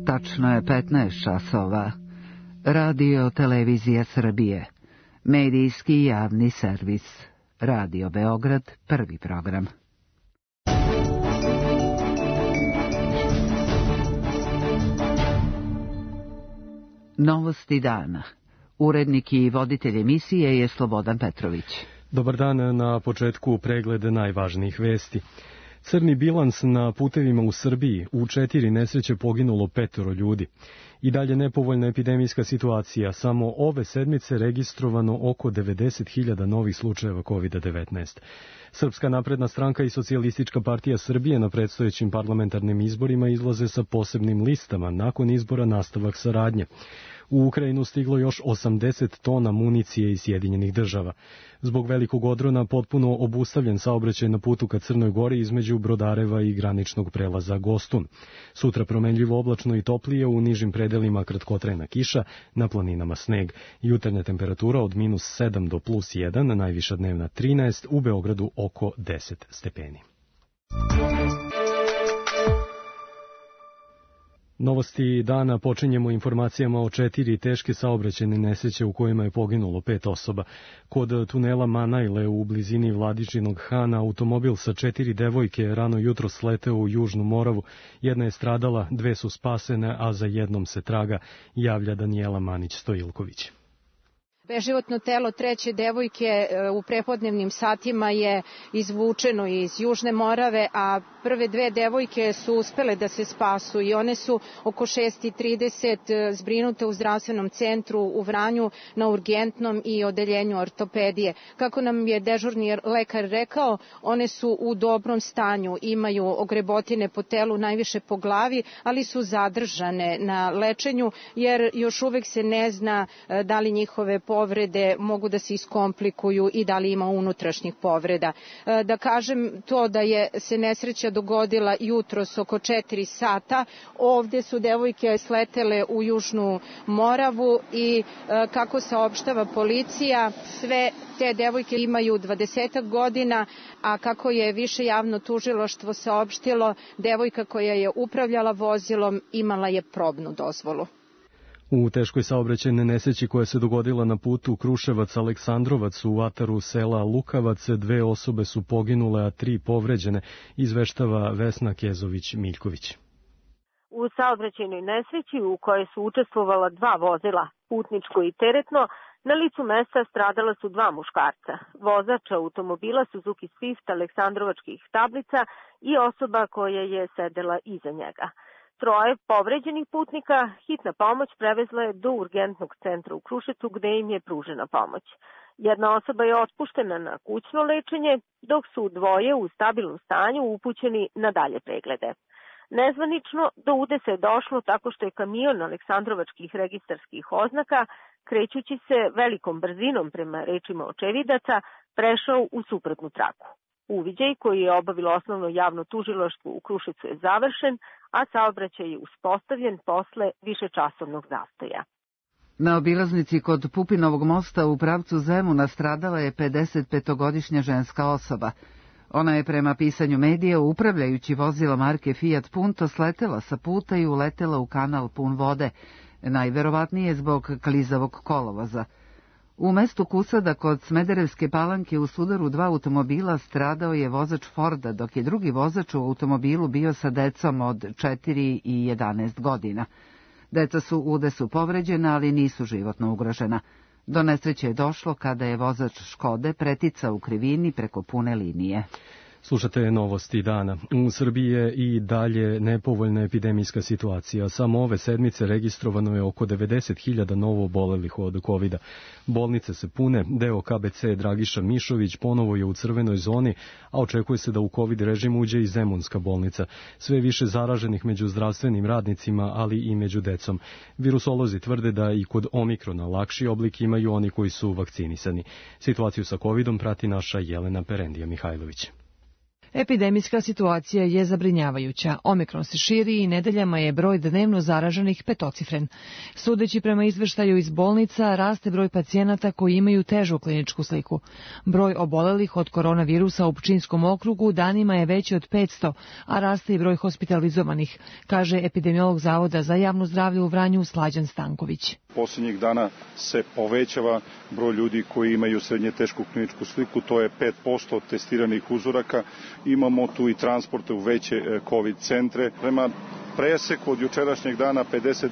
Tačno je 15 časova. Radio Televizija Srbije. Medijski javni servis. Radio Beograd, prvi program. Novosti dana. Urednik i voditelj emisije je Slobodan Petrović. Dobar dan, na početku pregled najvažnijih vesti. Crni bilans na putevima u Srbiji, u 4 nesreće poginulo 5 ljudi. I dalje nepovoljna epidemijska situacija, samo ove sedmice registrovano oko 90.000 novih slučajeva COVID-19. Srpska napredna stranka i Socijalistička partija Srbije na predstojećim parlamentarnim izborima izlaze sa posebnim listama, nakon izbora nastavak saradnje. U Ukrajinu stiglo još 80 tona municije iz Sjedinjenih država. Zbog velikog odrona potpuno obustavljen saobraćaj na putu ka Crnoj Gori između Brodareva i graničnog prelaza Gostun. Sutra promenljivo oblačno i toplije, u nižim predelima kratkotrajna kiša, na planinama sneg. Jutarnja temperatura od -7 do +1, najviša dnevna 13, u Beogradu oko 10 stepeni. Novosti dana počinjemo informacijama o 4 teške saobraćajne nesreće u kojima je poginulo 5 osoba. Kod tunela Manajle u blizini Vladičinog Hana automobil sa 4 devojke rano jutro sleteo u Južnu Moravu. Jedna je stradala, 2 su spasene, a za jednom se traga, javlja Danijela Manić-Stojilković. Beživotno telo 3. devojke u prepodnevnim satima je izvučeno iz Južne Morave, a prve 2 devojke su uspele da se spasu i one su oko 6:30 zbrinute u zdravstvenom centru u Vranju na urgentnom i odeljenju ortopedije. Kako nam je dežurni lekar rekao, one su u dobrom stanju, imaju ogrebotine po telu, najviše po glavi, ali su zadržane na lečenju jer još uvek se ne zna da li njihove povrede mogu da se iskomplikuju i da li ima unutrašnjih povreda. Da kažem to da je se nesreća dogodila jutros oko 4 sata. Ovde su devojke sletele u Južnu Moravu i kako saopštava policija, sve te devojke imaju 20 godina, a kako je više javno tužilaštvo saopštilo, devojka koja je upravljala vozilom imala je probnu dozvolu. U teškoj saobraćajnoj nesreći koja se dogodila na putu Kruševac-Aleksandrovac u ataru sela Lukavac, 2 osobe su poginule, a 3 povređene, izveštava Vesna Kezović-Miljković. U saobraćajnoj nesreći u kojoj su učestvovala 2 vozila, putničko i teretno, na licu mesta stradala su 2 muškarca, vozač automobila Suzuki Swift aleksandrovačkih tablica i osoba koja je sedela iza njega. 3 povređenih putnika hitna pomoć prevezla je do urgentnog centra u Kruševcu gde im je pružena pomoć. Jedna osoba je otpuštena na kućno lečenje, dok su 2 u stabilnom stanju upućeni na dalje preglede. Nezvanično do udesa je došlo tako što je kamion aleksandrovačkih registarskih oznaka, krećući se velikom brzinom prema rečima očevidaca, prešao u suprotnu traku. Uviđaj koji je obavilo osnovno javno tužilaštvo u Kruševcu je završen, a saobraćaj je uspostavljen posle višečasovnog zastoja. Na obilaznici kod Pupinovog mosta u pravcu Zemuna stradala je 55-godišnja ženska osoba. Ona je prema pisanju medija upravljajući vozilo marke Fiat Punto sletela sa puta i uletela u kanal pun vode, najverovatnije zbog klizavog kolovoza. U mestu Kusada kod Smederevske Palanke u sudaru 2 automobila stradao je vozač Forda, dok je drugi vozač u automobilu bio sa decom od 4 i 11 godina. Deca su u udesu povređena, ali nisu životno ugrožena. Do nesreće je došlo kada je vozač Škode preticao u krivini preko pune linije. Slušate novosti dana. U Srbiji je i dalje nepovoljna epidemijska situacija. Samo ove sedmice registrovano je oko 90.000 novo obolelih od COVID-a. Bolnice se pune, deo KBC Dragiša Mišović ponovo je u crvenoj zoni, a očekuje se da u COVID režim uđe i Zemunska bolnica. Sve više zaraženih među zdravstvenim radnicima, ali i među decom. Virusolozi tvrde da i kod omikrona lakši oblik imaju oni koji su vakcinisani. Situaciju sa COVID-om prati naša Jelena Perendija Mihajlović. Epidemijska situacija je zabrinjavajuća. Omikron se širi i nedeljama je broj dnevno zaraženih petocifren. Sudeći prema izveštaju iz bolnica, raste broj pacijenata koji imaju težu kliničku sliku. Broj obolelih od koronavirusa u Pčinjskom okrugu danima je veći od 500, a raste i broj hospitalizovanih, kaže epidemiolog Zavoda za javno zdravlje u Vranju Slađan Stanković. Posljednjih dana se povećava broj ljudi koji imaju srednje tešku kliničku sliku, to je 5% testiranih uzoraka. Imamo tu i transporte u veće COVID centre. Prema preseku od jučerašnjeg dana 57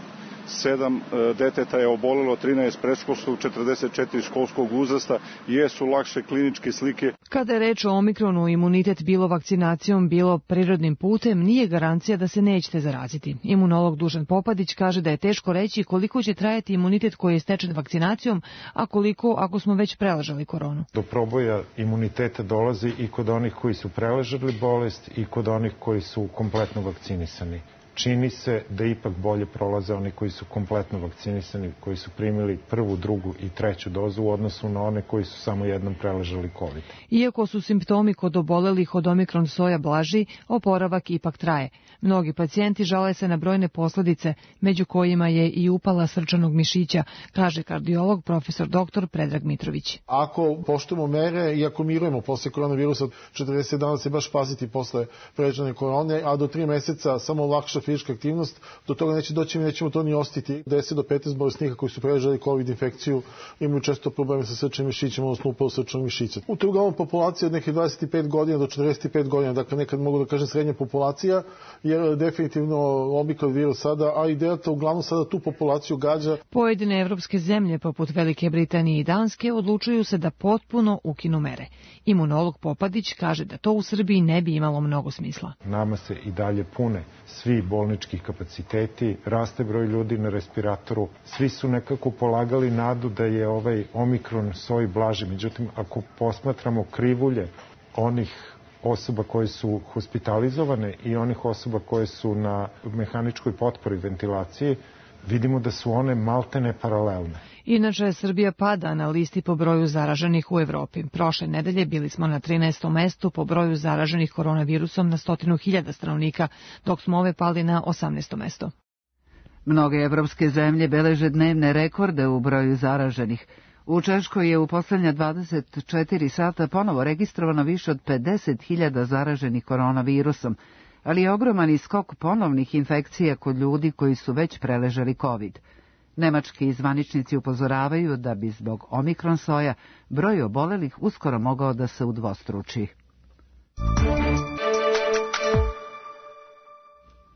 deteta je obolelo, 13 predškolskog, 44 školskog uzrasta, jesu lakše kliničke slike. Kada je reč o Omikronu, imunitet bilo vakcinacijom, bilo prirodnim putem, nije garancija da se nećete zaraziti. Imunolog Dušan Popadić kaže da je teško reći koliko će trajati imunitet koji je stečen vakcinacijom, a koliko ako smo već preležali koronu. Do proboja imuniteta dolazi i kod onih koji su preležali bolest i kod onih koji su kompletno vakcinisani. Čini se da ipak bolje prolaze oni koji su kompletno vakcinisani, koji su primili prvu, drugu i treću dozu u odnosu na one koji su samo jednom preležali COVID. Iako su simptomi kod obolelih od omikron soja blaži, oporavak ipak traje. Mnogi pacijenti žale se na brojne posledice, među kojima je i upala srčanog mišića, kaže kardiolog profesor dr. Predrag Mitrović. Ako poštujemo mere i ako mirujemo posle koronavirusa, 40 dana se baš paziti posle preležene korone, a do 3 meseca samo lakša fizička aktivnost, do toga neće doći, mi nećemo to ni ostiti. 10 do 15 bolesnika koji su preležali COVID infekciju imaju često probleme sa srčanim mišićima, odnosno upalu srčanog mišića. U to je uglavnom populacija od nekih 25 godina do 45 godina, dakle nekad mogu da kažem srednja populacija, jer definitivno omikron virus sada, a i delta uglavnom sada tu populaciju gađa. Pojedine evropske zemlje, poput Velike Britanije i Danske, odlučuju se da potpuno ukinu mere. Imunolog Popadić kaže da to u Srbiji ne bi imalo mnogo smisla. Nama se i dalje pune svi bolničkih kapaciteti, raste broj ljudi na respiratoru, svi su nekako polagali nadu da je ovaj omikron soj blaži. Međutim, ako posmatramo krivulje onih osoba koje su hospitalizovane i onih osoba koje su na mehaničkoj potpori ventilaciji, vidimo da su one maltene paralelne. Inače, Srbija pada na listi po broju zaraženih u Evropi. Prošle nedelje bili smo na 13. mestu po broju zaraženih koronavirusom na 100.000 stanovnika, dok smo ove pali na 18. mesto. Mnoge evropske zemlje beleže dnevne rekorde u broju zaraženih. U Češkoj je u poslednja 24 sata ponovo registrovano više od 50.000 zaraženih koronavirusom, ali je ogroman skok ponovnih infekcija kod ljudi koji su već preležali COVID. Nemački zvaničnici upozoravaju da bi zbog omikron soja broj obolelih uskoro mogao da se udvostruči.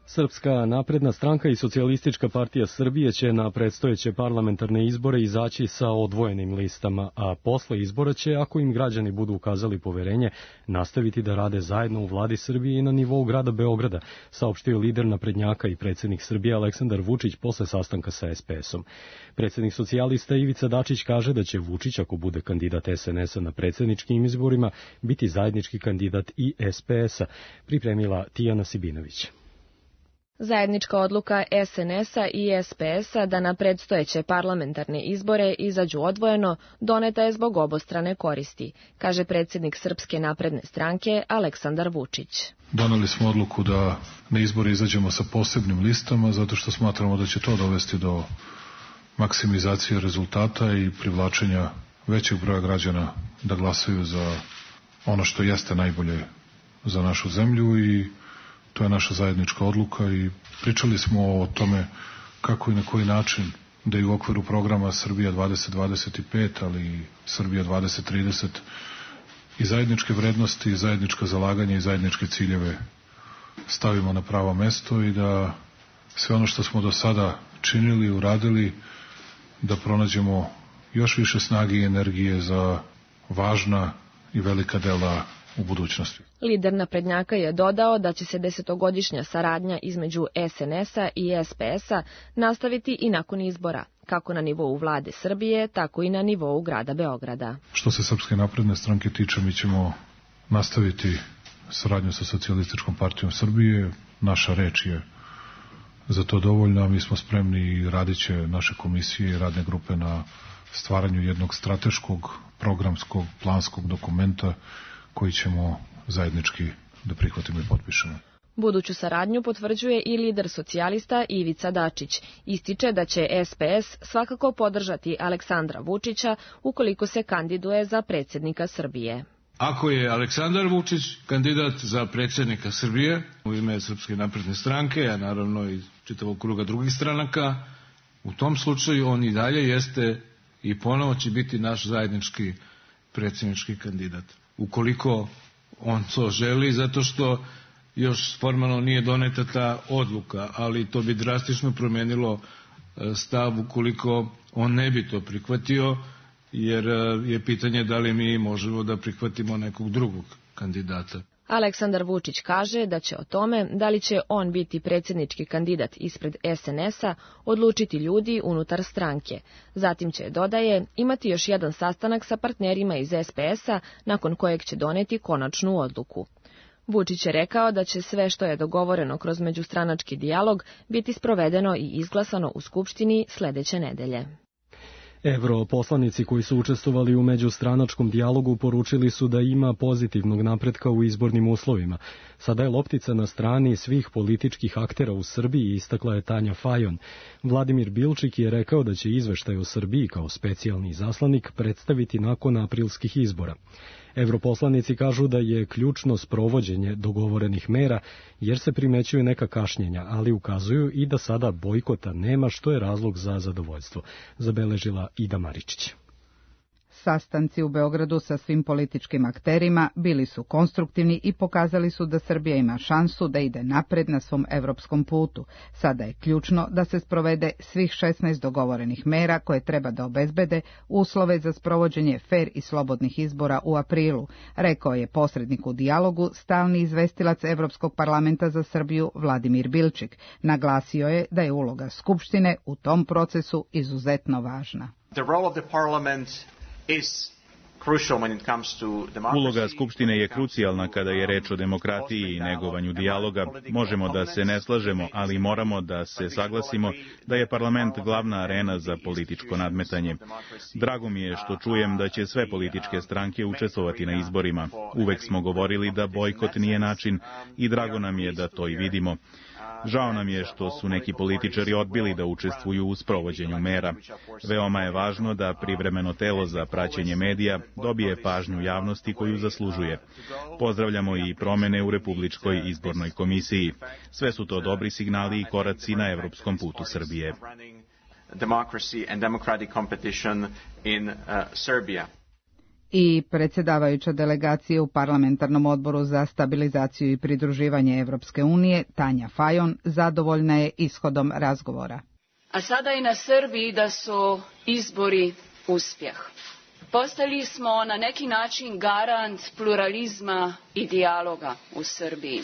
Srpska napredna stranka i Socijalistička partija Srbije će na predstojeće parlamentarne izbore izaći sa odvojenim listama, a posle izbora će, ako im građani budu ukazali poverenje, nastaviti da rade zajedno u vladi Srbije i na nivou grada Beograda, saopštio lider naprednjaka i predsjednik Srbije Aleksandar Vučić posle sastanka sa SPS-om. Predsjednik socijalista Ivica Dačić kaže da će Vučić, ako bude kandidat SNS-a na predsjedničkim izborima, biti zajednički kandidat i SPS-a, pripremila Tijana Sibinović. Zajednička odluka SNS-a i SPS-a da na predstojeće parlamentarne izbore izađu odvojeno doneta je zbog obostrane koristi, kaže predsjednik Srpske napredne stranke Aleksandar Vučić. Doneli smo odluku da na izbore izađemo sa posebnim listama, zato što smatramo da će to dovesti do maksimizacije rezultata i privlačenja većeg broja građana da glasaju za ono što jeste najbolje za našu zemlju i to je naša zajednička odluka i pričali smo o tome kako i na koji način da i u okviru programa Srbija 2025, ali i Srbija 2030 i zajedničke vrednosti, i zajednička zalaganja i zajedničke ciljeve stavimo na pravo mesto i da sve ono što smo do sada činili, uradili, da pronađemo još više snage i energije za važna i velika dela u budućnosti. Lider naprednjaka je dodao da će se 10-godišnja saradnja između SNS-a i SPS-a nastaviti i nakon izbora, kako na nivou vlade Srbije, tako i na nivou grada Beograda. Što se Srpske napredne stranke tiče, mi ćemo nastaviti saradnju sa Socijalističkom partijom Srbije. Naša reč je za to dovoljna, mi smo spremni i radit će naše komisije i radne grupe na stvaranju jednog strateškog, programskog, planskog dokumenta koji ćemo zajednički da prihvatimo i potpišemo. Buduću saradnju potvrđuje i lider socijalista Ivica Dačić. Ističe da će SPS svakako podržati Aleksandra Vučića ukoliko se kandiduje za predsjednika Srbije. Ako je Aleksandar Vučić kandidat za predsjednika Srbije u ime Srpske napredne stranke, a naravno i čitavog kruga drugih stranaka, u tom slučaju on i dalje jeste i ponovo će biti naš zajednički predsjednički kandidat. Ukoliko on to želi, zato što još formalno nije doneta ta odluka, ali to bi drastično promenilo stav ukoliko on ne bi to prihvatio, jer je pitanje da li mi možemo da prihvatimo nekog drugog kandidata. Aleksandar Vučić kaže da će o tome da li će on biti predsjednički kandidat ispred SNS-a odlučiti ljudi unutar stranke. Zatim će, dodaje, imati još jedan sastanak sa partnerima iz SPS-a nakon kojeg će doneti konačnu odluku. Vučić je rekao da će sve što je dogovoreno kroz međustranački dijalog biti sprovedeno i izglasano u Skupštini sledeće nedelje. Europoslanici koji su učestvovali u međustranačkom dijalogu poručili su da ima pozitivnog napretka u izbornim uslovima. Sada je loptica na strani svih političkih aktera u Srbiji, istakla je Tanja Fajon. Vladimir Bilčik je rekao da će izveštaj o Srbiji kao specijalni izaslanik predstaviti nakon aprilskih izbora. Europoslanici kažu da je ključno sprovođenje dogovorenih mera jer se primećuju neka kašnjenja, ali ukazuju i da sada bojkota nema, što je razlog za zadovoljstvo, zabeležila Ida Maričić. Sastanci u Beogradu sa svim političkim akterima bili su konstruktivni i pokazali su da Srbija ima šansu da ide napred na svom evropskom putu. Sada je ključno da se sprovede svih 16 dogovorenih mera koje treba da obezbede uslove za sprovođenje fer i slobodnih izbora u aprilu, rekao je posrednik u dijalogu, stalni izvestilac Evropskog parlamenta za Srbiju Vladimir Bilčik. Naglasio je da je uloga Skupštine u tom procesu izuzetno važna. Uloga Skupštine je krucijalna kada je reč o demokratiji i negovanju dijaloga. Možemo da se ne slažemo, ali moramo da se saglasimo da je parlament glavna arena za političko nadmetanje. Drago mi je što čujem da će sve političke stranke učestvovati na izborima. Uvek smo govorili da bojkot nije način i drago nam je da to i vidimo. Žao nam je što su neki političari odbili da učestvuju u sprovođenju mera. Veoma je važno da privremeno telo za praćenje medija dobije pažnju javnosti koju zaslužuje. Pozdravljamo i promene u Republičkoj izbornoj komisiji. Sve su to dobri signali i koraci na evropskom putu Srbije. I predsjedavajuća delegacija u Parlamentarnom odboru za stabilizaciju i pridruživanje Evropske unije, Tanja Fajon, zadovoljna je ishodom razgovora. A sada i na Srbiji da su izbori uspjeh. Postali smo na neki način garant pluralizma i dijaloga u Srbiji.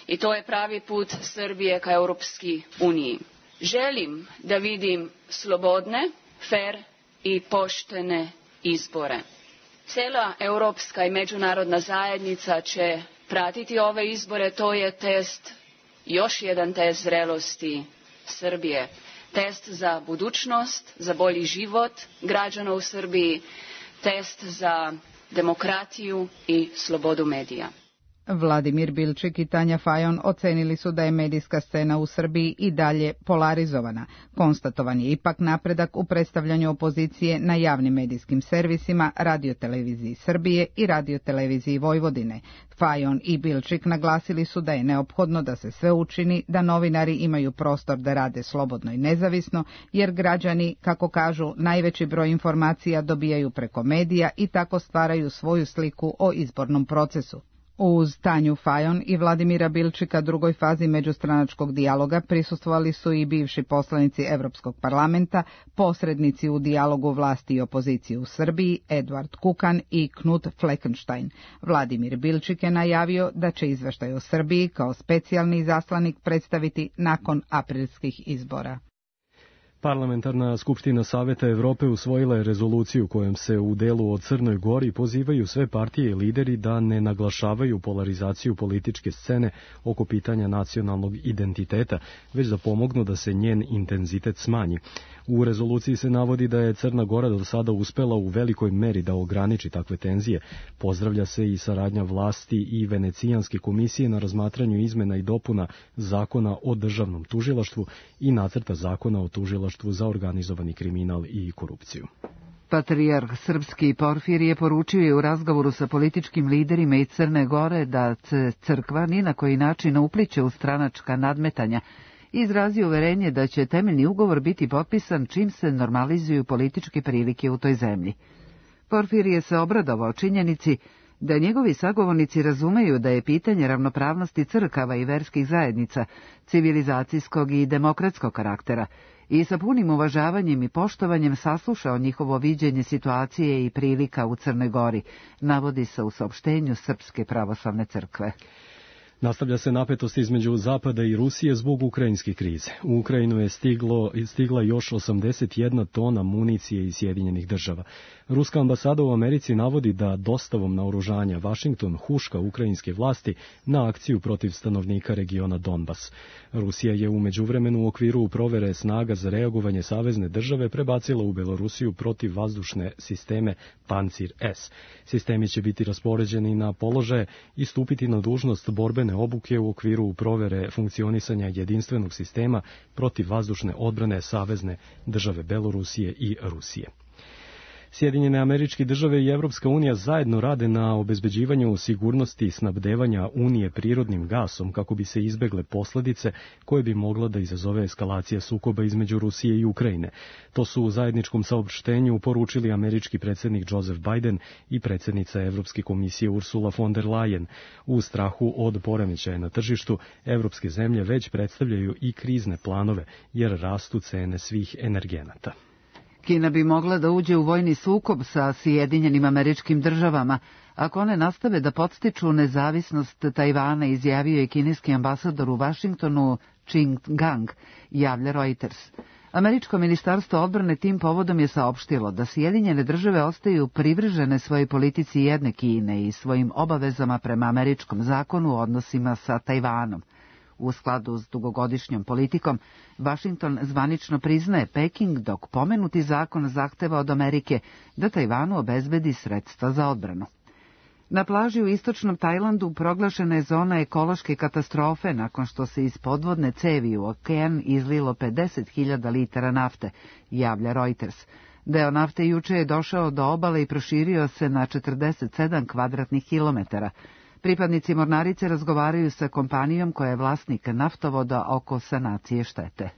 I to je pravi put Srbije ka Europski uniji. Želim da vidim slobodne, fer i poštene izbore. Cijela europska i međunarodna zajednica će pratiti ove izbore, to je test, još jedan test zrelosti Srbije. Test za budućnost, za bolji život građana u Srbiji, test za demokratiju i slobodu medija. Vladimir Bilčik i Tanja Fajon ocenili su da je medijska scena u Srbiji i dalje polarizovana. Konstatovan je ipak napredak u predstavljanju opozicije na javnim medijskim servisima, Radioteleviziji Srbije i Radioteleviziji Vojvodine. Fajon i Bilčik naglasili su da je neophodno da se sve učini da novinari imaju prostor da rade slobodno i nezavisno, jer građani, kako kažu, najveći broj informacija dobijaju preko medija i tako stvaraju svoju sliku o izbornom procesu. Uz Tanju Fajon i Vladimira Bilčika drugoj fazi međustranačkog dijaloga prisustvovali su i bivši poslanici Evropskog parlamenta, posrednici u dijalogu vlasti i opozicije u Srbiji, Eduard Kukan i Knut Fleckenstein. Vladimir Bilčik je najavio da će izveštaj o Srbiji kao specijalni izaslanik predstaviti nakon aprilskih izbora. Parlamentarna skupština Saveta Evrope usvojila je rezoluciju kojom se u delu o Crnoj Gori pozivaju sve partije i lideri da ne naglašavaju polarizaciju političke scene oko pitanja nacionalnog identiteta, već da pomognu da se njen intenzitet smanji. U rezoluciji se navodi da je Crna Gora do sada uspela u velikoj meri da ograniči takve tenzije. Pozdravlja se i saradnja vlasti i Venecijanske komisije na razmatranju izmena i dopuna zakona o državnom tužilaštvu i nacrta zakona o tužilaštvu za organizovani kriminal i korupciju. Patrijarh srpski Porfirije poručio je u razgovoru sa političkim liderima iz Crne Gore da se crkva ni na koji način ne upliće u stranačka nadmetanja i izrazio uverenje da će temeljni ugovor biti potpisan čim se normalizuju političke prilike u toj zemlji. Porfirije se obradovao činjenici da njegovi sagovornici razumeju da je pitanje ravnopravnosti crkava i verskih zajednica, civilizacijskog i demokratskog karaktera, i sa punim uvažavanjem i poštovanjem saslušao njihovo viđenje situacije i prilika u Crnoj Gori, navodi se u saopštenju Srpske pravoslavne crkve. Nastavlja se napetost između Zapada i Rusije zbog ukrajinske krize. U Ukrajinu je stigla još 81 tona municije iz Sjedinjenih država. Ruska ambasada u Americi navodi da dostavom naoružanja Vašington huška ukrajinske vlasti na akciju protiv stanovnika regiona Donbas. Rusija je u međuvremenu u okviru provere snaga za reagovanje savezne države prebacila u Belorusiju protivvazdušne sisteme Pancir S. Sistemi će biti raspoređeni na položaje i stupiti na dužnost borbene obuke u okviru provere funkcionisanja jedinstvenog sistema protivvazdušne odbrane savezne države Belorusije i Rusije. Sjedinjene Američke Države i Evropska unija zajedno rade na obezbeđivanju sigurnosti snabdevanja Unije prirodnim gasom kako bi se izbegle posljedice koje bi mogla da izazove eskalacija sukoba između Rusije i Ukrajine. To su u zajedničkom saopštenju poručili američki predsjednik Joseph Biden i predsjednica Evropske komisije Ursula von der Leyen. U strahu od poremećaja na tržištu, evropske zemlje već predstavljaju i krizne planove jer rastu cene svih energenata. Kina bi mogla da uđe u vojni sukob sa Sjedinjenim Američkim Državama ako one nastave da podstiču nezavisnost Tajvana, izjavio je kineski ambasador u Vašingtonu Qing Gang, javlja Reuters. Američko ministarstvo odbrane tim povodom je saopštilo da Sjedinjene Države ostaju privržene svojoj politici jedne Kine i svojim obavezama prema američkom zakonu u odnosima sa Tajvanom. U skladu s dugogodišnjom politikom, Vašington zvanično priznaje Peking, dok pomenuti zakon zahteva od Amerike da Tajvanu obezbedi sredstva za odbranu. Na plaži u istočnom Tajlandu proglašena je zona ekološke katastrofe nakon što se iz podvodne cevi u okean izlilo 50.000 litara nafte, javlja Reuters. Deo nafte juče je došao do obale i proširio se na 47 kvadratnih kilometara. Pripadnici mornarice razgovaraju sa kompanijom koja je vlasnik naftovoda oko sanacije štete.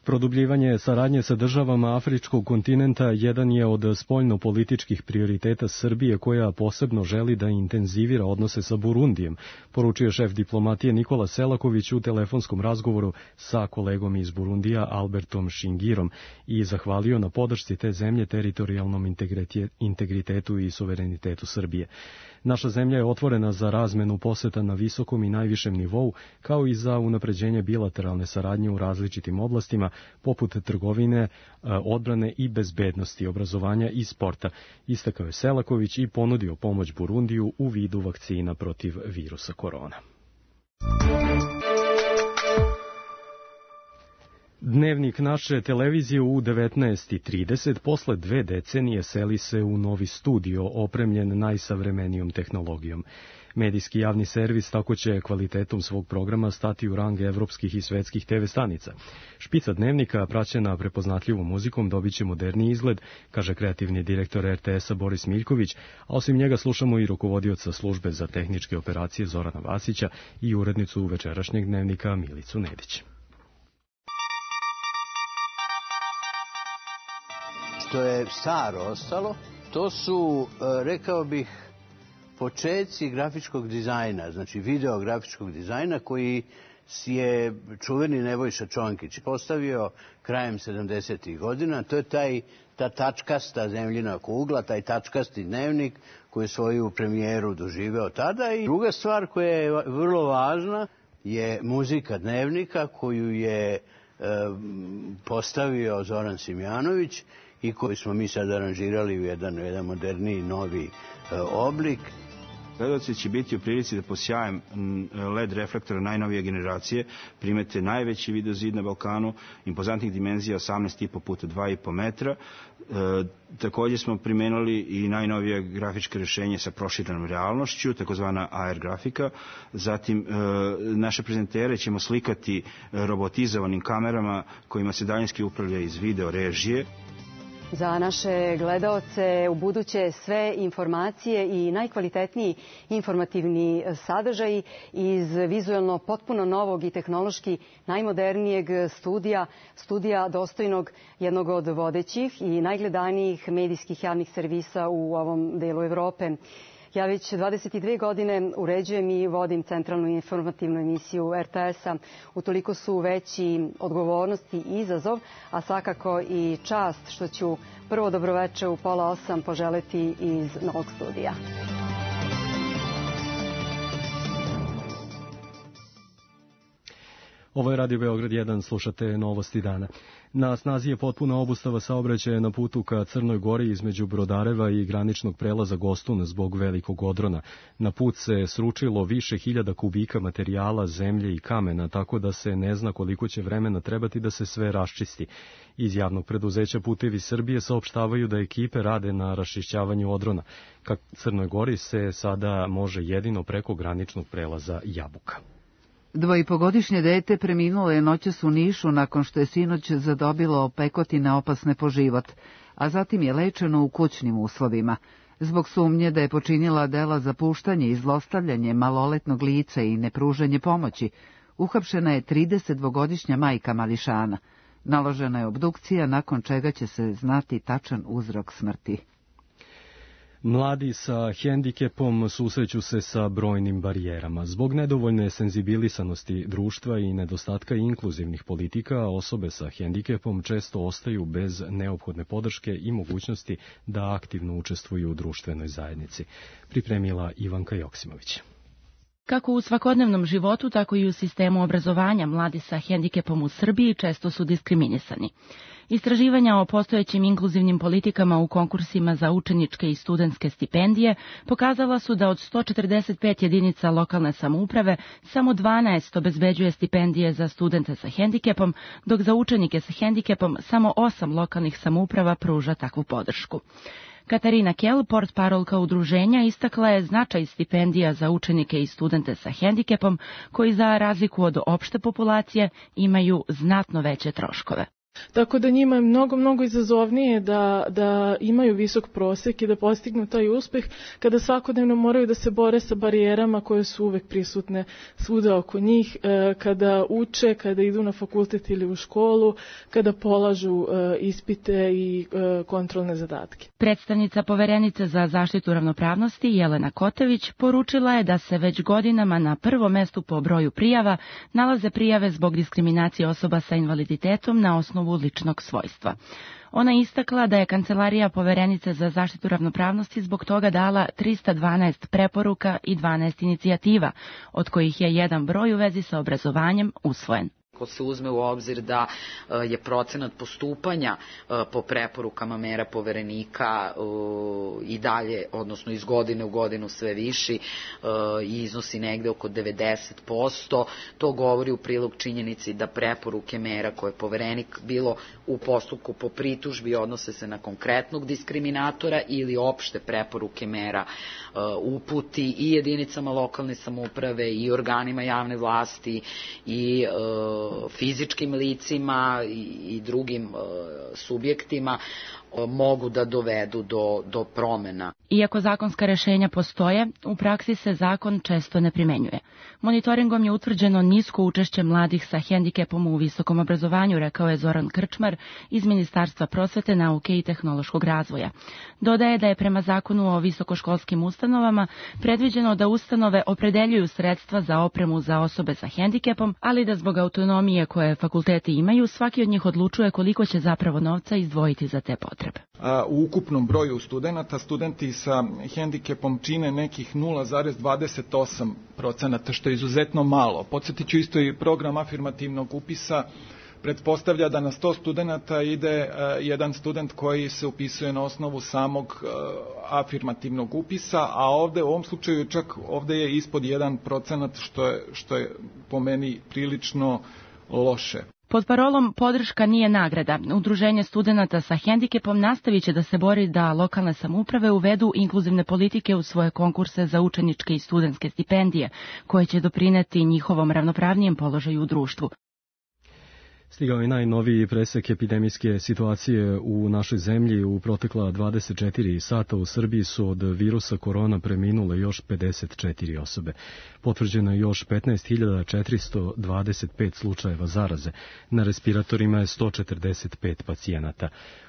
Produbljivanje saradnje sa državama afričkog kontinenta jedan je od spoljno-političkih prioriteta Srbije koja posebno želi da intenzivira odnose sa Burundijem, poručio šef diplomatije Nikola Selaković u telefonskom razgovoru sa kolegom iz Burundija Albertom Shingirom i zahvalio na podršci te zemlje teritorijalnom integritetu i suverenitetu Srbije. Naša zemlja je otvorena za razmenu poseta na visokom i najvišem nivou, kao i za unapređenje bilateralne saradnje u različitim oblastima, poput trgovine, odbrane i bezbednosti, obrazovanja i sporta, istakao je Selaković i ponudio pomoć Burundiju u vidu vakcina protiv virusa korona. Dnevnik naše televizije u 19:30 posle 2 decenije seli se u novi studio opremljen najsavremenijom tehnologijom. Medijski javni servis tako će kvalitetom svog programa stati u rang evropskih i svetskih TV stanica. Špica dnevnika, praćena prepoznatljivom muzikom, dobit će moderniji izgled, kaže kreativni direktor RTS-a Boris Miljković, a osim njega slušamo i rukovodioca službe za tehničke operacije Zorana Vasića i urednicu večerašnjeg dnevnika Milicu Nedić. Što je staro ostalo, to su, rekao bih, počeci grafičkog dizajna, znači videografičkog dizajna koji je čuveni Nebojša Čonkić postavio krajem 70. godina. To je ta tačkasta zemljina kugla, taj tačkasti dnevnik koji je svoju premijeru doživeo tada. I druga stvar koja je vrlo važna je muzika dnevnika koju je postavio Zoran Simjanović i koji smo mi sad aranžirali u jedan moderniji, novi oblik. Gledaoci će biti u prilici da posjajem LED reflektora najnovije generacije primete najveći videozid na Balkanu, impozantnih dimenzija 18,5 puta 2,5 metra. Takođe smo primenili i najnovije grafičke rešenje sa proširenom realnošću, takozvana AR grafika. Zatim, naše prezentere ćemo slikati robotizovanim kamerama kojima se daljinski upravlja iz video režije. Za naše gledaoce u buduće sve informacije i najkvalitetniji informativni sadržaji iz vizuelno potpuno novog i tehnološki najmodernijeg studija dostojnog jednog od vodećih i najgledanijih medijskih javnih servisa u ovom delu Evrope. Ja već 22 godine uređujem i vodim centralnu informativnu emisiju RTS-a. Utoliko su veći odgovornost i izazov, a svakako i čast što ću prvo dobroveče u 7:30 poželeti iz novog studija. Ovo je Radio Beograd 1, slušate Novosti dana. Na snazi je potpuna obustava saobraćaja na putu ka Crnoj Gori između Brodareva i graničnog prelaza Gostun zbog velikog odrona. Na put se sručilo više hiljada kubika materijala, zemlje i kamena, tako da se ne zna koliko će vremena trebati da se sve raščisti. Iz javnog preduzeća Putevi Srbije saopštavaju da ekipe rade na raščišćavanju odrona. Ka Crnoj Gori se sada može jedino preko graničnog prelaza Jabuka. 2,5-godišnje dete preminulo je noćas u Nišu nakon što je sinoć zadobilo pekotine opasne po život, a zatim je lečeno u kućnim uslovima. Zbog sumnje da je počinila dela za puštanje i zlostavljanje maloletnog lica i nepružanje pomoći, uhapšena je 32-godišnja majka mališana. Naložena je obdukcija, nakon čega će se znati tačan uzrok smrti. Mladi sa hendikepom susreću se sa brojnim barijerama. Zbog nedovoljne senzibilisanosti društva i nedostatka inkluzivnih politika, osobe sa hendikepom često ostaju bez neophodne podrške i mogućnosti da aktivno učestvuju u društvenoj zajednici. Pripremila Ivanka Joksimović. Kako u svakodnevnom životu, tako i u sistemu obrazovanja mladi sa hendikepom u Srbiji često su diskriminisani. Istraživanja o postojećim inkluzivnim politikama u konkursima za učeničke i studentske stipendije pokazala su da od 145 jedinica lokalne samouprave samo 12 obezbeđuje stipendije za studente sa hendikepom, dok za učenike sa hendikepom samo 8 lokalnih samouprava pruža takvu podršku. Katarina Kell, portparolka udruženja, istakla je značaj stipendija za učenike i studente sa hendikepom, koji za razliku od opšte populacije imaju znatno veće troškove. Tako da njima je mnogo izazovnije da imaju visok prosek i da postignu taj uspeh kada svakodnevno moraju da se bore sa barijerama koje su uvek prisutne svuda oko njih, kada uče, kada idu na fakultet ili u školu, kada polažu ispite i kontrolne zadatke. Predstavnica Poverenice za zaštitu ravnopravnosti Jelena Kotević poručila je da se već godinama na prvom mestu po broju prijava nalaze prijave zbog diskriminacije osoba sa invaliditetom na osnovu ličnog svojstva. Ona je istakla da je Kancelarija Poverenice za zaštitu ravnopravnosti zbog toga dala 312 preporuka i 12 inicijativa, od kojih je jedan broj u vezi sa obrazovanjem usvojen. Ako se uzme u obzir da je procenat postupanja po preporukama mera Poverenika i dalje, odnosno iz godine u godinu sve viši i iznosi negde oko 90%, to govori u prilog činjenici da preporuke mera koje je Poverenik bilo u postupku po pritužbi odnose se na konkretnog diskriminatora ili opšte preporuke mera uputi i jedinicama lokalne samouprave i organima javne vlasti i fizičkim licima i drugim subjektima mogu da dovedu do promena. Iako zakonska rešenja postoje, u praksi se zakon često ne primenjuje. Monitoringom je utvrđeno nisko učešće mladih sa hendikepom u visokom obrazovanju, rekao je Zoran Krčmar iz Ministarstva prosvete, nauke i tehnološkog razvoja. Dodaje da je prema zakonu o visokoškolskim ustanovama predviđeno da ustanove opredeljuju sredstva za opremu za osobe sa hendikepom, ali da zbog autonomije koje fakulteti imaju, svaki od njih odlučuje koliko će zapravo novca izdvojiti za te potrebe. U ukupnom broju studenta, studenti sa hendikepom čine nekih 0,28%, što je izuzetno malo. Podsjetit ću isto i program afirmativnog upisa pretpostavlja da na 100 studenta ide jedan student koji se upisuje na osnovu samog afirmativnog upisa, a ovde u ovom slučaju čak ovde je ispod 1%, što je po meni prilično loše. Pod parolom podrška nije nagrada, Udruženje studenata sa hendikepom nastavit će da se bori da lokalne samouprave uvedu inkluzivne politike u svoje konkurse za učeničke i studentske stipendije, koje će doprineti njihovom ravnopravnijem položaju u društvu. Stigao je najnoviji presek epidemijske situacije u našoj zemlji. U protekla 24 sata u Srbiji su od virusa korona preminule još 54 osobe. Potvrđeno je još 15.425 slučajeva zaraze. Na respiratorima je 145 pacijenata.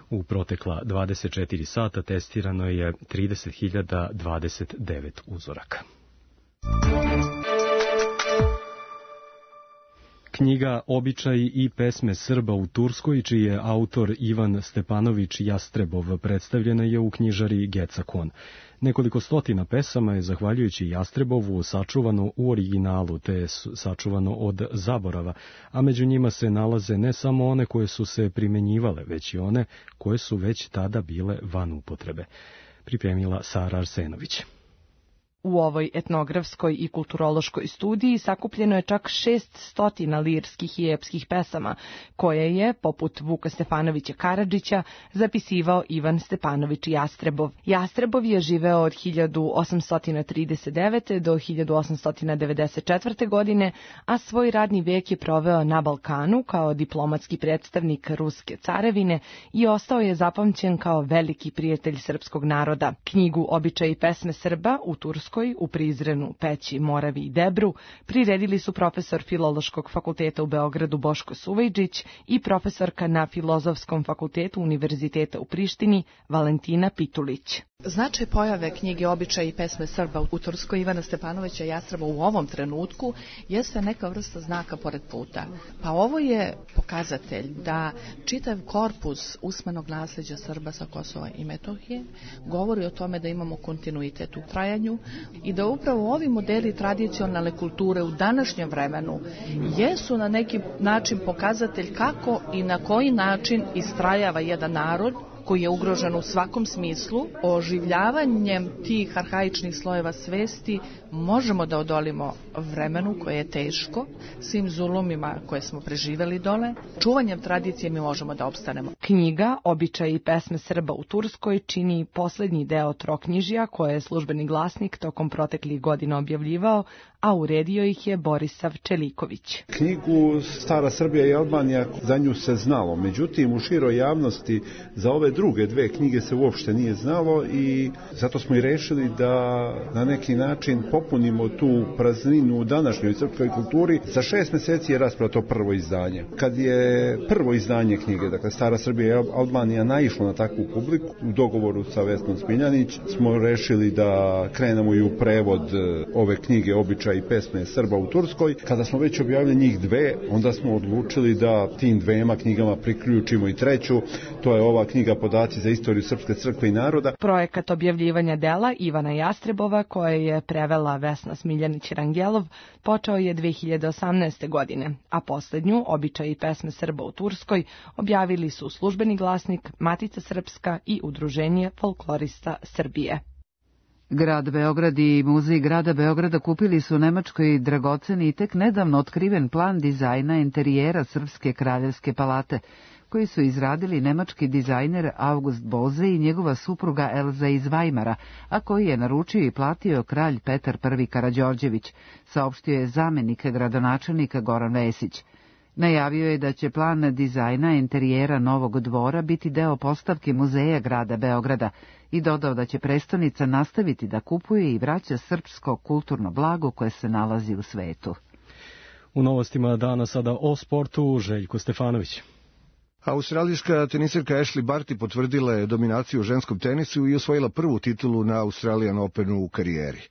U protekla 24 sata testirano je 30.029 uzoraka. Knjiga Običaji i pesme Srba u Turskoj, čiji je autor Ivan Stepanović Jastrebov, predstavljena je u knjižari Gecakon. Nekoliko stotina pesama je, zahvaljujući Jastrebovu, sačuvano u originalu, te je sačuvano od zaborava, a među njima se nalaze ne samo one koje su se primenjivale, već i one koje su već tada bile van upotrebe. Pripremila Sara Arsenović. U ovoj etnografskoj i kulturološkoj studiji sakupljeno je čak 600 lirskih i epskih pesama, koje je, poput Vuka Stefanovića Karadžića, zapisivao Ivan Stepanović Jastrebov. Jastrebov je živeo od 1839. do 1894. godine, a svoj radni vijek je proveo na Balkanu kao diplomatski predstavnik Ruske carevine i ostao je zapamćen kao veliki prijatelj srpskog naroda. Knjigu Običaji i pesme Srba u Turskoj u Prizrenu, Peći, Moravi i Debru priredili su profesor Filološkog fakulteta u Beogradu Boško Suvejđić i profesorka na Filozofskom fakultetu Univerziteta u Prištini Valentina Pitulić. Značaj pojave knjige Običaji i pesme Srba u Turskoj Ivana Stepanovića Jastreba u ovom trenutku jeste neka vrsta znaka pored puta. Pa ovo je pokazatelj da čitav korpus usmenog nasljeđa Srba sa Kosova i Metohije govori o tome da imamo kontinuitet u trajanju i da upravo ovi modeli tradicionalne kulture u današnjem vremenu jesu na neki način pokazatelj kako i na koji način istrajava jedan narod koji je ugrožen u svakom smislu. Oživljavanjem tih arhaičnih slojeva svesti možemo da odolimo vremenu koje je teško, svim zulumima koje smo preživeli dole. Čuvanjem tradicije mi možemo da opstanemo. Knjiga Običaji i pesme Srba u Turskoj čini poslednji deo troknjižja koje je Službeni glasnik tokom proteklih godina objavljivao, a uredio ih je Borisav Čeliković. Knjigu Stara Srbija i Albanija, za nju se znalo, međutim u široj javnosti za ove druge dve knjige se uopšte nije znalo i zato smo i rešili da na neki način popunimo tu prazninu u današnjoj srpskoj kulturi. Za 6 meseci je rasprato prvo izdanje. Kad je prvo izdanje knjige, dakle Stara Srbija i Albanija, naišlo na takvu publiku, u dogovoru sa Vesnom Smiljanić smo rešili da krenemo i u prevod ove knjige Običaji i pesme Srba u Turskoj. Kada smo već objavili njih dve, onda smo odlučili da tim dvema knjigama priključimo i treću. To je ova knjiga Podaci za istoriju Srpske crkve i naroda. Projekat objavljivanja dela Ivana Jastrebova, koje je prevela Vesna Smiljanić-Rangelov, počeo je 2018. godine, a poslednju Običaji i pesme Srba u Turskoj objavili su Službeni glasnik, Matica Srpska i Udruženje folklorista Srbije. Grad Beograd i Muzej grada Beograda kupili su u Nemačkoj dragoceni i tek nedavno otkriven plan dizajna interijera Srpske kraljevske palate, koji su izradili nemački dizajner August Boze i njegova supruga Elza iz Vajmara, a koji je naručio i platio kralj Petar I Karađorđević, saopštio je zamenik gradonačelnika Goran Vesić. Najavio je da će plan dizajna interijera Novog dvora biti deo postavke Muzeja grada Beograda i dodao da će prestonica nastaviti da kupuje i vraća srpsko kulturno blago koje se nalazi u svetu. U novostima dana sada o sportu, Željko Stefanović. Australijska tenisirka Ashley Barty potvrdila je dominaciju u ženskom tenisu i osvojila prvu titulu na Australian Openu u karijeri.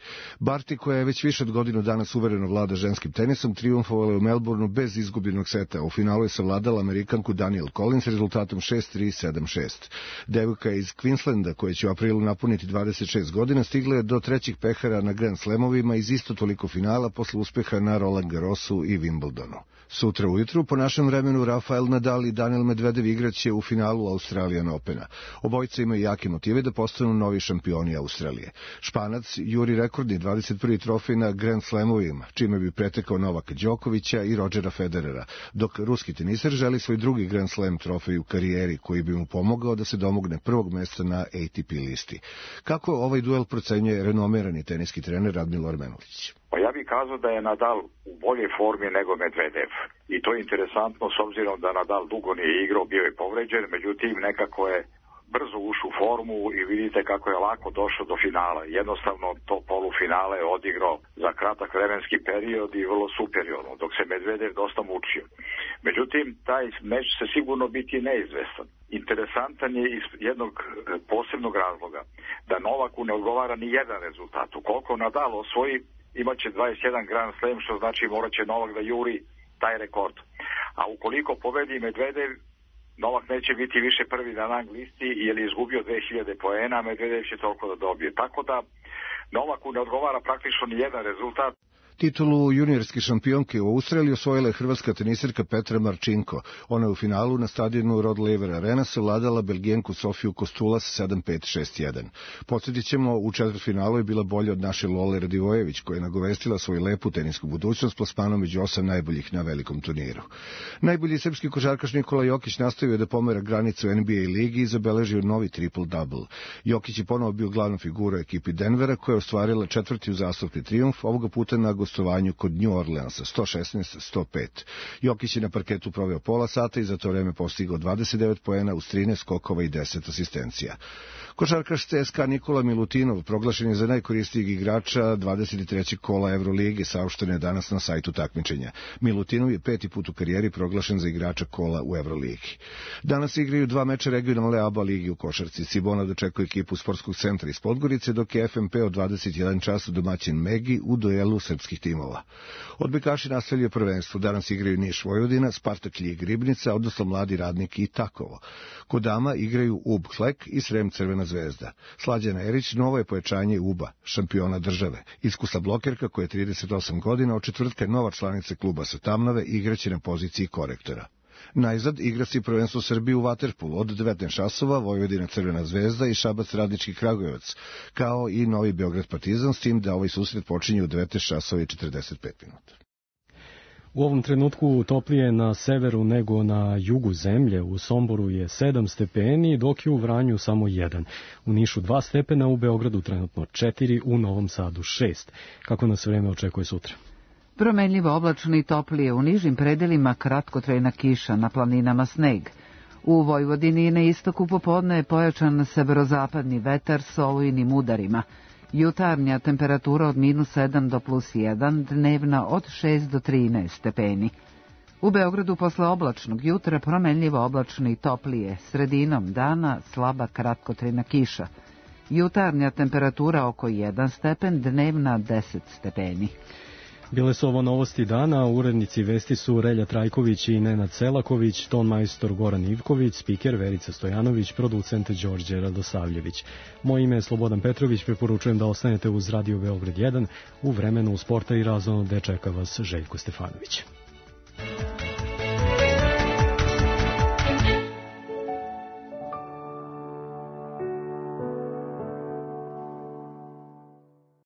Barty, koja je već više od godinu dana suvereno vlada ženskim tenisom, trijumfovala je u Melbourneu bez izgubljenog seta. U finalu je savladala Amerikanku Danielle Collins rezultatom 6-3, 7-6. Devojka iz Queenslanda, koja će u aprilu napuniti 26 godina, stigla je do trećih pehara na Grand Slamovima iz isto toliko finala posle uspeha na Roland Garrosu i Wimbledonu. Sutra ujutru, po našem vremenu, Rafael Nadal i Daniel Medvedev igraće u finalu Australian Opena. Obojica imaju jake motive da postanu novi šampioni Australije. Španac juri rekordni 21. trofej na Grand Slamovima, čime bi pretekao Novaka Đokovića i Rodgera Federera, dok ruski teniser želi svoj drugi Grand Slam trofej u karijeri, koji bi mu pomogao da se domogne prvog mesta na ATP listi. Kako ovaj duel procenjuje renomirani teniski trener Radmilo Armenulić? Pa ja bih kazao da je Nadal u boljoj formi nego Medvedev. I to je interesantno s obzirom da Nadal dugo nije igrao, bio je povređen, međutim nekako je brzo ušao u formu i vidite kako je lako došao do finala. Jednostavno to polufinale je odigrao za kratak vremenski period i vrlo superiorno, dok se Medvedev dosta mučio. Međutim, taj meč se sigurno biti neizvestan. Interesantan je iz jednog posebnog razloga, da Novaku ne odgovara ni jedan rezultat. Ukoliko Nadal osvoji, imaće 21 Grand Slam, što znači morat će Novak da juri taj rekord. A ukoliko pobedi Medvedev, Novak neće biti više prvi na rang listi jer je izgubio 2000 poena, a Medvedev će toliko da dobije. Tako da Novaku ne odgovara praktično ni jedan rezultat. Titulu juniorske šampionke u Australiji osvojila je hrvatska tenisirka Petra Marčinko. Ona je u finalu na stadionu Rod Laver Arena savladala Belgijenku Sofiju Kostulas 7-5, 6-1. Podsjetit ćemo, u četvrtfinalu je bila bolja od naše Lole Radivojević, koja je nagovestila svoju lepu tenisku budućnost plasmanom među 8 najboljih na velikom turniru. Najbolji srpski košarkaš Nikola Jokić nastavio da pomera granicu NBA ligi i zabeležio novi triple-double. Jokić je ponovo bio glavna figura ekipi Denvera, koja je ostvarila četvrti uzastopni trijumf, ovoga puta na gostovanju kod New Orleansa, 116-105. Jokić je na parketu proveo pola sata i za to vreme postigao 29 poena uz 13 skokova i 10 asistencija. Košarkaš CSKA Nikola Milutinov proglašen je za najkoristijeg igrača 23. kola Evrolige, saopšteno je danas na sajtu takmičenja. Milutinov je 5. put u karijeri proglašen za igrača kola u Evroligi. Danas igraju 2 meča regionalne ABA ligi u košarci. Cibona dočekuje ekipu sportskog centra iz Podgorice, dok je FMP od 21 času domaćin Megi u duelu srpskih timova. Odbojkaši nastavljaju prvenstvo. Danas igraju Niš Vojvodina, Spartak Ljig Ribnica, odnosno Mladi Radnik i Takovo. Kod dama igraju UB Klek i Srem Crvena zvezda. Slađana Erić novo je pojačanje UBA, šampiona države. Iskusna blokerka koja je 38 godina, od četvrtka je nova članica kluba sa Tamnave, igraće na poziciji korektora. Najzad igra se prvenstvo Srbije u vaterpolu od 19 časova, Vojvodina Crvena zvezda i Šabac Radnički Kragujevac, kao i Novi Beograd Partizan, s tim da ovaj susret počinje u 19 časova i 45 minuta. U ovom trenutku toplije na severu nego na jugu zemlje. U Somboru je 7 stepeni, dok je u Vranju samo 1. U Nišu 2 stepena, u Beogradu trenutno 4, u Novom Sadu 6. Kako nas vreme očekuje sutra? Promenljivo oblačno i toplije, u nižim predelima kratkotrajna kiša, na planinama sneg. U Vojvodini na istoku popodne je pojačan severozapadni vetar s olujnim udarima. Jutarnja temperatura od -7 do +1, dnevna od 6 do 13 stepeni. U Beogradu posle oblačnog jutra promenljivo oblačno i toplije, sredinom dana slaba kratkotrajna kiša. Jutarnja temperatura oko 1 stepen, dnevna 10 stepeni. Bile su ovo novosti dana, urednici vesti su Relja Trajković i Nenad Selaković, tonmajstor Goran Ivković, spiker Verica Stojanović, producent Đorđe Radosavljević. Moje ime je Slobodan Petrović, preporučujem da ostanete uz Radio Beograd 1, u vremenu sporta i razonode čeka vas Željko Stefanović.